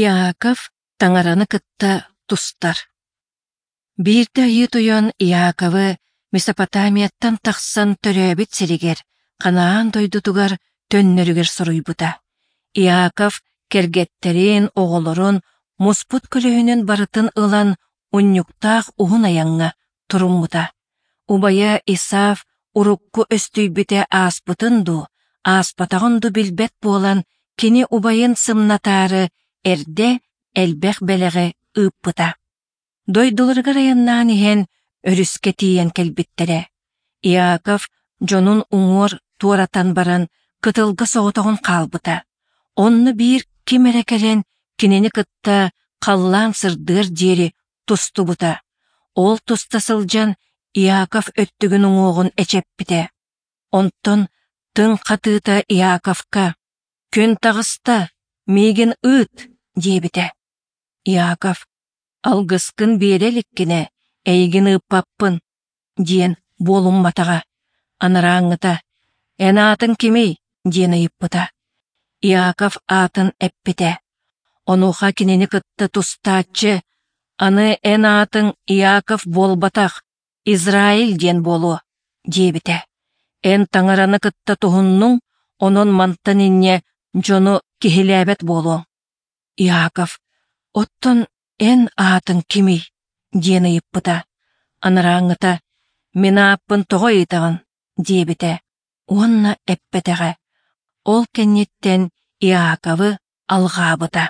Иаков Таҥараны кытта тустар. Биирдэ Айыы Тойон Иаковы Месопотамияттан тахсан төрөөбүт сиригэр, Ханаан дойдутугар төннөрүгэр соруйбута. Иаков кэргэттэрин, оҕолорун, муспут көлөһүнүн барытын ылан унньуктаах уһун айаҥҥа туруммута. Убайа Исав урукку өстүйбүтэ ааспытын дуу, ааспатаҕын дуу билбэт буолан, кини убайын сымнатаары эрдэ элбэх бэлэҕи ыыппыта. Дойдуларыгар айаннаан иһэн өрүскэ тиийэн кэлбиттэрэ. Иаков дьонун уҥуор туоратан баран кытылга соҕотоҕун хаалбыта. Онно биир ким эрэ кэлэн кинини кытта халлаан сырдыар диэри тустубута. Ол туста сылдьан Иаков өттүгүн уҥуоҕун эчэппитэ. Онтон тыҥ хатыыта Иаковка: «Күн таҕыста, миигин ыыт!» диэбитэ. Иаков: «Алгыскын биэрэ иликкинэ, эйигин ыыппаппын» диэн буолумматаҕа. Анарааҥҥыта: «Эн аатыҥ кимий?» диэн ыйыппыта. Иаков аатын эппитэ. Онуоха кинини кытта тустааччы: «Аны эн аатыҥ Иаков буолбатах, Израиль диэн буолуо», диэбитэ. «Эн Таҥараны кытта туһуннуҥ, онон мантан инньэ дьону киһилээбэт буолуоҥ». Иаков: «Оттон эн аатыҥ кимий?» диэн ыйыппыта. Анарааҥҥыта: «Мин ааппын тоҕо ыйытаҕын?» диэбитэ уонна эппэтэҕэ. Ол кэнниттэн Иаковы алҕаабыта.